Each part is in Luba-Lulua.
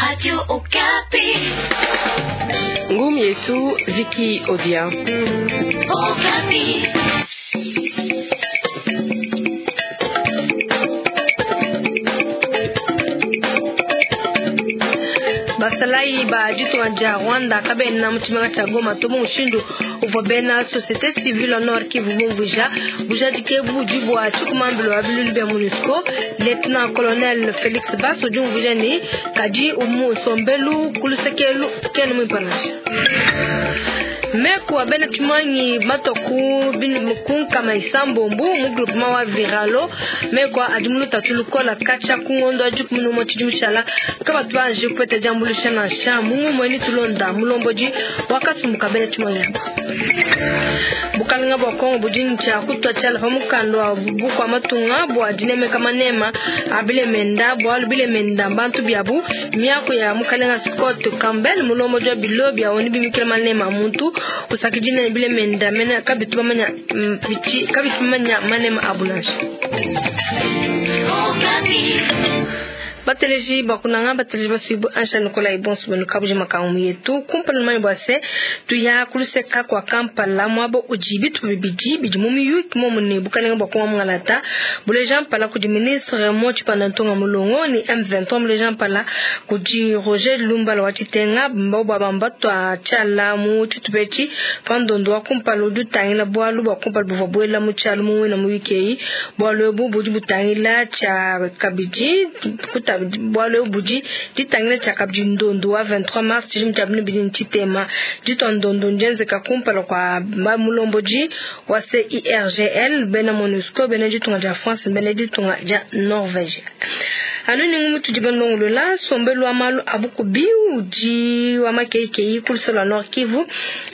Radio Okapi. Ngumi yetu Viki Odia. Okapi. Basalayi ba ditunga dia Rwanda kabena mu tshimenga tshia Goma to mu mushindu uvua bena société civile Nord Kivu bumvuija bujadiki ebu budi bua tshikumambilo wa bilulu bia MONUSCO. Lieutenant Colonel Felix Bass udi umvuija ne kadi umu nsombelu ku luseke elu kena muimpe nansha. Meku a bena tshimuangi matua ku nkama isambombo mu groupement wa Viralo, meku adi mu lutatu lukola katshia ku ngondo wa 11 tshidimu tshiala kabatu banji kupeta diambuluisha nansha. Mu ngumu eni tulonda mulombodi wa kasumbu ka bena tshimuangi aba. Bukalenga bua Kongo budi ne tshia kutua tshiala pa mukanda wa bukua matunga bua dinemeka manema a bilemenda, bualu bilemenda mbantu biabu. Miaku ya mukalenga Scott Campbell, mulombodi wa bilo bia ONU bimikila manema a muntu, usakidile ne bilemenda mene kabitu bamanya kabitu bamanya manema abu nansha. Okapi. Bateleji bakunanga, bateleji basuibu ansha nikola ibonso benu kabuji makangu yetu kumpala manyi bua se tuya kuluseka kwa Kampala mwabo udi bitu bibidi bidi mu miyuki momu ne bukalenga bua Kongo mungalata buleja mpala kudi ministre Raymond Tshibanda Ntonga Mulongo ni M23 buleja mpala kudi Roger Lumbala wa Tshitenga mbao bua bamba tua tshiala mu tshitubetshi pa ndondo wa kumpala udi utangila bualu bua kumpala buvua buela mu tshialu mu wina mu wiki eyi. Bualu ebu budi butangila tshia kabidi kuta bualu ebu budi ditangila tshia kabidi ndondo wa 23 mars tshidimu tshia binu bidi ntshitema ditua ndondo ndienzeka kumpala kwa mulombodi wa CIRGL bena MONUSCO bena ditunga dia France bena ditunga dia Norvège. Anu ni ngumu tudi balongolola nsombelu wa malu a bukubi udi wa makeikeyi ku luseke lua Nord Kivu.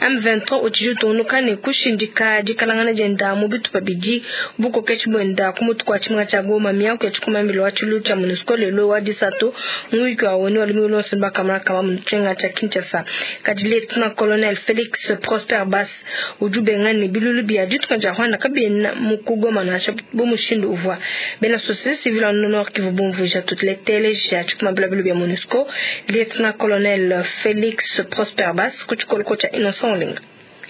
M23 utshidi utungunuka ne kushindika dikalangana dienda mu bitupa bidi bukokeshi buenda ku mutu kua tshimenga tshia Goma. Miaku ya tshikumambilo wa tshilu tshia MONUSCO lelo wa disatu mu wiki wa ONU wa lumingu luonso bakamona kama mu tshimenga tshia Kinshasa. Kadi Lieutenant Colonel Felix Prosper Bass udi ubenga ne bilulu bia ditunga dia Rwanda kabiena mu ku Goma nansha bu mushindu uvua bena société civile wa Nord Kivu bumvuija. Tuteleja tshikumambila bilu bia MONUSCO Lieutenant Colonel Felix Prosper Bass ku tshikoloko tshia Innocent Olenga.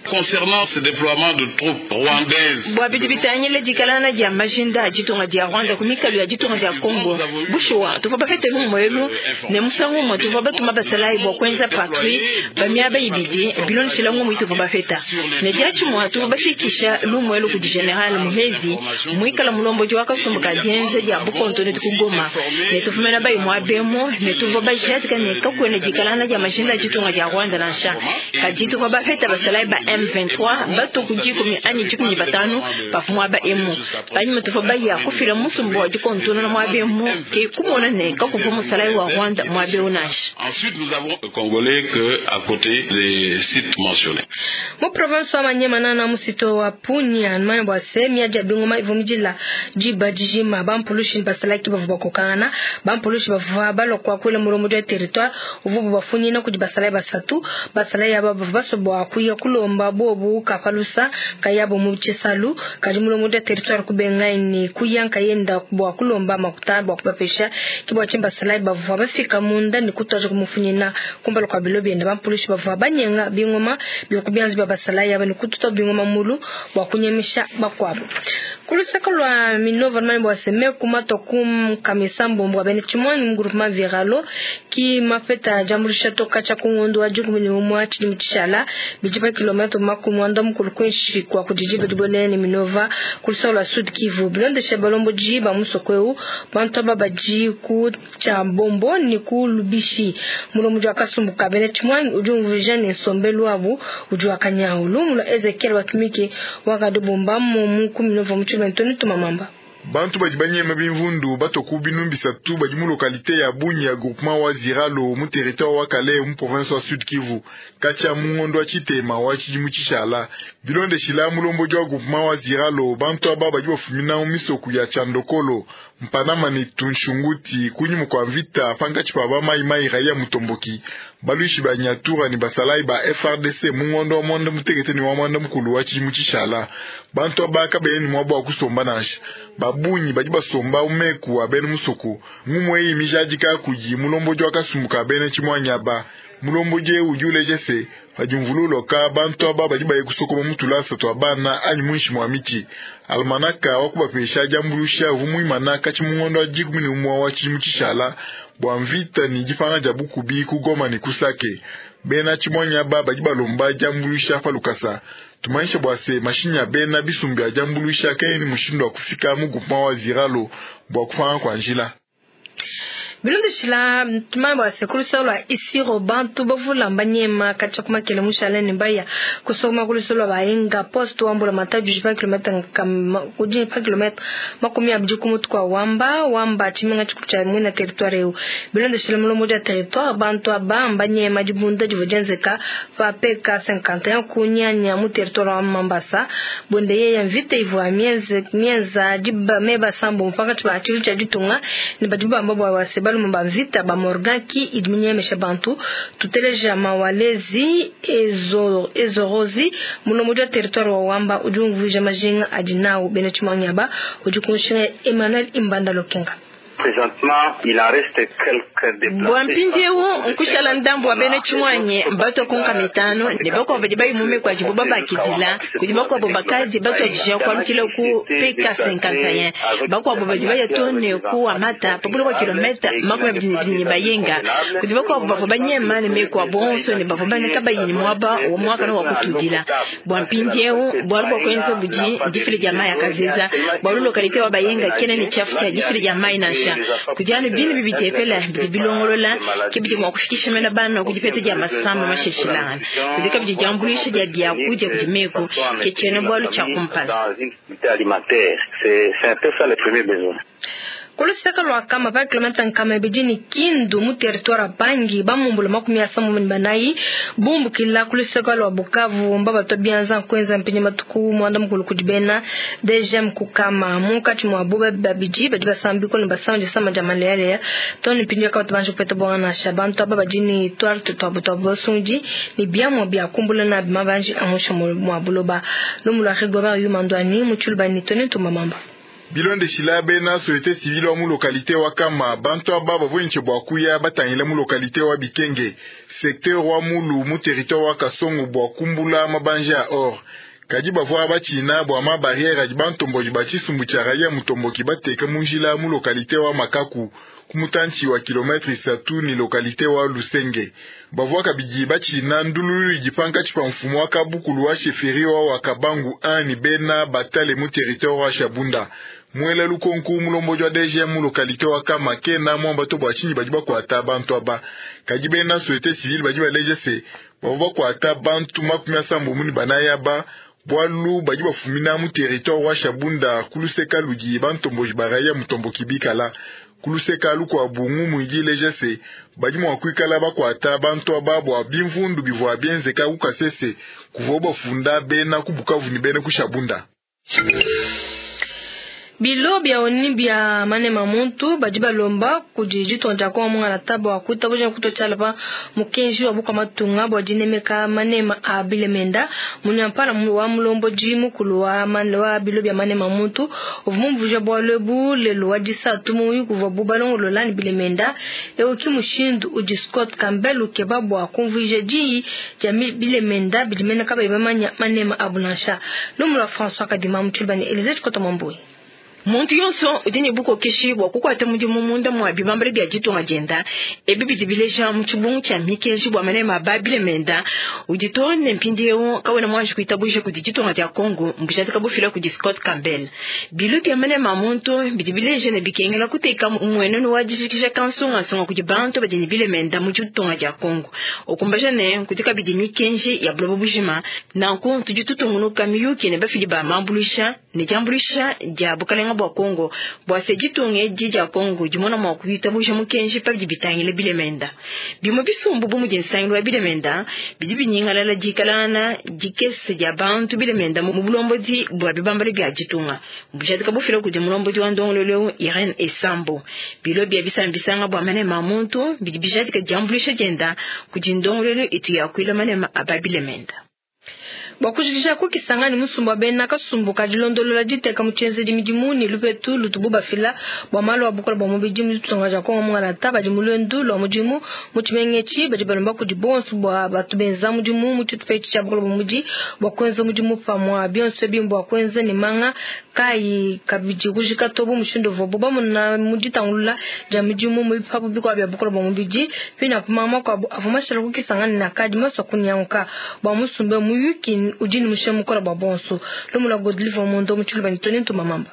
Concernant ce déploiement de troupes rwandaises, bua bidi bitangila dikalana dia majinda a ditunga dia Rwanda ku mikalu ya ditunga dia Congo, bushuwa tuvua bapete lumu elu ne musangu umue tuvua batuma basalayi bua kuenza patrouille pa miaba ibidi bilondeshila ngumu ituvua bapeta ne diatshimue tuvua bafikisha lumu elu kudi General Muhezi muikala mulombodi wa kasumbu ka dienza dia bukonto ne ku Goma ne tuvumena bayi muabemu ne tuvua bajadika ne kakuena dikalana dia majinda a ditunga dia Rwanda nansha kadi tuvua bapeta basalayi ba M23 batu ku 10 anyi 15 bavua muaba emu panyima tuvua baya kufila musumba wa dikontona muaba emu ke kumona ne kakuvua musalayi wa Rwanda muaba eu nansha. Ensuite, nous avons Congolais que à côté des sites mentionnés. Mu province wa Maniema nana musito wa Punia nmanya bua se miadi ya bingoma ivua midila diba dijima bampulushi ne basalaki bavua bakokangana. Bampulushi bavua balua kuakuila mulombodi wa territoire uvua bubafunyina kudi basalayi basatu. Basalayi aba bavua basua bua kuya kulomba bobu kapalusa kayabo mu tshisalu kadi mulombodi wa territoire kubengaye ne kuya nkayenda bua kulomba makuta bua kubapesha. Ke bua tshinyi basalayi bavua bafika munda ne kutuaja kumufunyina kumpala kua bilo bienda. Bampulushi bavua banyenga bingoma bia ku bianza bia basalayi aba ne kututa bingoma mulu bua kunyemisha bakuabu. Ku luseke lua Minova nmanya bua se meku matua ku nkamisa mbombo wa bena tshimuangi mu groupement Viralo ki mapeta diambuluisha toka tshia ku ngondo wa 11 tshidimu tshishala bidi pa kilomètre 40 kuinshi kua kudidi badi ne Minova ku luseke lua Sud Kivu. Bilondeshe balombodi ba musoko eu bantu aba badi ku tshia mbombo ne ku Lubishi. Mulombodi wa kasumbu ka bena tshimuangi udi umvuija ne nsombelu wabu udi wa kanyawu. Lumu lua Ezekiel Watumike wakadibomba mu ku Minova mu tshilumbu Ntoni Tumamamba. Bantu badi banyema bimvundu batoku binu bisatu badi mu localité ya Bunia ya groupement wa Ziralo mu territoire wa Kalehe mu province wa Sud Kivu katshia mu ngondo wa tshitema wa tshidimu tshishala bilondeshila mulombodi wa groupement wa Ziralo bantu aba badi bafumina mu misoku ya Tshiandokolo. Mpanama ne Tunshunguti kunyima kua mvita pankatshi pa ba Mai Mai Raia Mutomboki baluishi ba Nyatura ne basalayi ba FARDC mu ngondo wa mwanda mutekete ne wa mwanda mukulu wa tshidimu tshishala. Bantu aba kabena ne muaba wa kusomba nansha, babunyi badi basomba umeku wa bena musoko. Ngumu eyi mijadika kudi mulombodi wa kasumbu ka bena tshimuanyi aba. Mulombodi udi uleja se padi mvula uloka bantu aba badi baye kusokoma mu tulasa tua bana anyi muinshi mua miti. Almanaka wa kubapesha diambuluisha uvua muimana katshi mu ngondo wa 11 wa tshidimu tshishala bua mvita ne dipanga dia bukubi ku Goma ne ku Sake. Bena tshimuanyi aba badi balomba diambuluisha pa lukasa. Tumanyisha bua se mashinyi a bena bisumbu bia diambuluisha kaena ne mushindu wa kufika mu groupement wa Ziralo bua kupanga kua njila. Bilondeshila tumanye bua se ku luseke lua Isiro bantu bavula mbanyema katshia ku makele mushale ne baya kusokoma ku luseke lua Baenga poste wa mbula matadi udi pa kilomètre udi pa kilomètre 20 ku mutu kua Wamba Wamba tshimenga tshikulu tshia muena territoire eu. Bilondeshila mulombodi wa territoire bantu aba mbanyema dibunda divua dienzeka pa PK 51 ku Nyanya mu territoire wa Mambasa. Bonde yeya mvita ivua mienza diba meba sambo pankatshi pa tshilu tshia ditunga ne badi bamba bua wase balume ba mvita ba Morgan ki idi minyemesha bantu. Tuteleja mawalezi ezorozi mulombodi wa territoire wa Wamba udi umvuija majinga adi nawu bena tshimuanyi aba udi kunshinga Emmanuel Imbanda Lokenga. Bua mpindiewu nkushala ndambu wa bena tshimuanyi batwa mitano ne bakuabo badi bayi mume kua dibo babakidila kudi bakuabo bakadi batuadija kualukila ku PK 51 bakuabo badi baya to ne ku Amata pabula kwa kilomètre 22 ne bayenga kudi bakuabo bavua banyema ne meku a bonso ne bavua baneka bayi ne muaba wa muakana wa kutudila. Bua mpindiewu bualu bua kuenza budi difila dia mayi akazeza bualu localité wa bayenga kena ne tshiafu tshia difila dia mayi nansha. Kudiana binu bibitepela bidi bilongolola ke bidi mua kufikisha mena bana ku dipeta dia masamba masheshilangana kudi kabidi diambuluisha dia biakudia kudi meku ke tshiena bualu tshia kumpala. Ku luseke lua Kama pa kilomètre 200 ne Kindu mu territoire Pangi bamumbula 34 bumbukila ku luseke lua Bukavu mbabatwa bianza kuenza mpinyi matuku mwanda mukulu kudi bena DGM kukama munkatshi mua bo babidi badi basambiko ne basamba disama dia malaria to ne mpinyi yakabatu banje kupeta bonga nansha bantu aba badi ne twarte twabo twabo basungi ne biamua bia kumbula na mabanji amusha mua buloba lumu lua Rigobert Yumandwani mu Tshilubani tone tumamamba. Bilondeshila bena société civile wa mu localité wa Kama bantu aba bavua bua kuya batangila mu localité wa Bikenge secteur wa Mulu mu territoire wa Kasongo bua kumbula mabanja ya or. Kadi bavua batshina bua ma barrière adi bantomboji ba tshisumbu tshia Raia Mutomboki bateka mu njila mu localité wa Makaku ku mutantshi wa kilomètre 3 ni localité wa Lusenge. Bavua kabidi batshina ndululu idi pankatshi pa mfumu wa kabukulu wa chefferie wa Kabangu 1 ni bena batale mu territoire wa Shabunda. Mwela lukonku mulombodi wa DGM mu localité wa Kama kena mwamba to bua tshinyi badi bakuata bantu aba. Kadi bena société civile badi baleja se bavua bakuata bantu 74 aba bualu badi bafumina mu territoire wa Shabunda ku luseka ludi bantomboji ba Raia Mutomboki bikala. Ku luseka lukuabu ngumu idi ileja se badi mua kuikala bakuata bantu aba bua bimvundu bivua bienzeka ku Kasese kuvua bafunda bena ku Bukavu ne bena ku Shabunda. Bilo bia oni bia manema muntu badi balomba kudi ditunga dia Kongo mungala taba wa kuitabuja kutotshia pa mukenji wa bukua matunga bua dinemeka manema a bilemenda munyampala wa mulombodi mukulu wa bilo bia manema muntu uvua mumvuija bualu ebu lelu wa disatu mu kuvua bu balongolola ne bilemenda eu ki mushindu udi Scott Campbell ukeba bua kumvuija diyi dia bilemenda bidi mena kabayi bamanya manema abu nansha. Lumu lua François Kadima mu Tshilubani Elise Chikota Mwambui. Muntu yonso udi ne bukokeshi bua kukuata mudimu munda mua bibambala bia ditunga dienda ebi bidi bileja mu tshibungu tshia mikenji bua manema a bilemenda udi to ne mpindiewu kawena muanji kuitabuja kudi ditunga dia Kongo mbujadika bufila kudi Scott Campbell. Bilo bia manema a muntu bidi bileja ne bikengela kuteka mmuenenu wa dijikija kansungasunga kudi bantu badi ne bilemenda mu ditunga dia Kongo ukumbaja ne kudi kabidi mikenji ya buloba bujima nanku tudi tutungunuka miyuki ne bafidi ba mambuluisha ne diambuluisha dia bukalenga. bukalanga bua Kongo bua se ditunga edi dia Kongo dimona mua kuitabuja mukenji pa bidi bitangila bilemenda. Bimue bisumbu bu mudi nsangilu wa bilemenda bidi binyingalala dikalangana dikese dia bantu bilemenda mu bulombodi bua bibambalu bia ditunga. Bujadika bufila kudi mulombodi wa ndongoluelu Irene Esambo. Bilo bia bisambisanga bua manema a muntu bidi bijadika diambuluisha dienda kudi ndongoluelu itu yakuila manema a babilemenda. Bua kujikija ku Kisangani musumba wa bena kasumbu ka dilondolola diteka mu tshienzedi midimu ne lupetu lutubu bafila bua malu a bukole bua mubidi mu ditunga dia Kongo mungalata badi mu luendu lua mudimu mu tshimenga etshi badi balomba kudi bonso bua batu benza mudimu mu tshitupa etshi tshia bukole bua mubidi bua kuenza mudimu pamue. Bionso ebi mbua kuenza ne manga kayi kabidi kujika to bu mushindu uvuabu bamona mu ditangulula dia midimu mu bipapu bikuabu bia bukole bua mubidi. Pinapu manga makuabu avua mashala ku Kisangani ne akadi masua kunyanguka bua musumba muyuki udi ne mushinga mukole bua bonso. Lumu lua Godlive Mondo mu Tshiluba ne Tony Ntumba Mamba.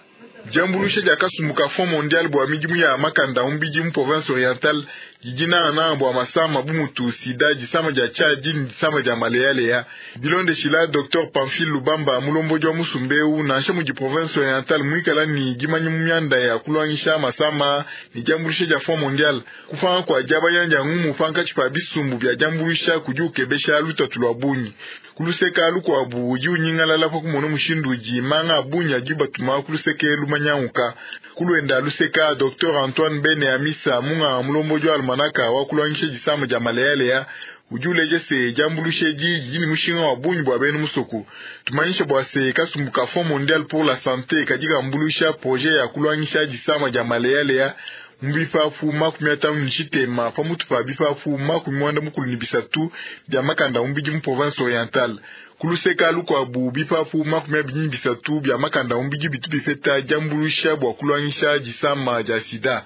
Diambuluisha dia kasumbu ka Fond mondial bua midimu ya makanda a mubidi mu province orientale didi nangananga bua masama bu mutu sida, disama dia tshiadi ne disama dia maleyaleya. Bilondeshila Dr Pamphile Lubamba, mulombodi wa musumba eu, nansha mudi province orientale muikala ne dimanya mu mianda ya kuluangisha masama ne diambuluisha dia Fond mondial, kupanga kua diabanya dia ngumu pankatshi pa bisumbu bia diambuluisha kudi ukebesha lutatu lua bungi. Ku luseke lukuabu udi unyingalala pa kumona mushindu udi manga a bungi adi batuma ku luseke lumanyanguka. Ku luenda luseka, Dr Antoine Bene Amisa, munganga mulombodi wa almanaka wa kuluangisha disama dia maleyaleya, udi uleja se diambuluisha edi didi ne mushinga wa bungi bua bena musoko. Tumanyisha bua se kasumbu ka Fond mondial pour la santé kadi kambuluisha projet ya kuluangisha disama dia maleyaleya mu bipapu 53 pamutu pa bipapu 93 bia makanda a mubidi mu province orientale. Ku luseka lukuabu bipapu 23 bia makanda a mubidi bitu bipeta diambuluisha bua kuluangisha disama dia sida.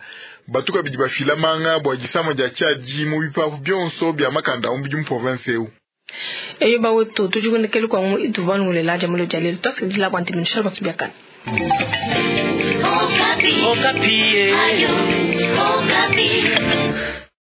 Batu kabidi bafila manga bua disama dia tshiadi mu bipapu bionso bia makanda a mubidi mu province eu. Eyo bawetu tujikunekele kwa mu ituvangulela jamulo jalelo twasikidila kwa ntiminishalo batubiakana. Okapi. Okapi. Ayo, Okapi.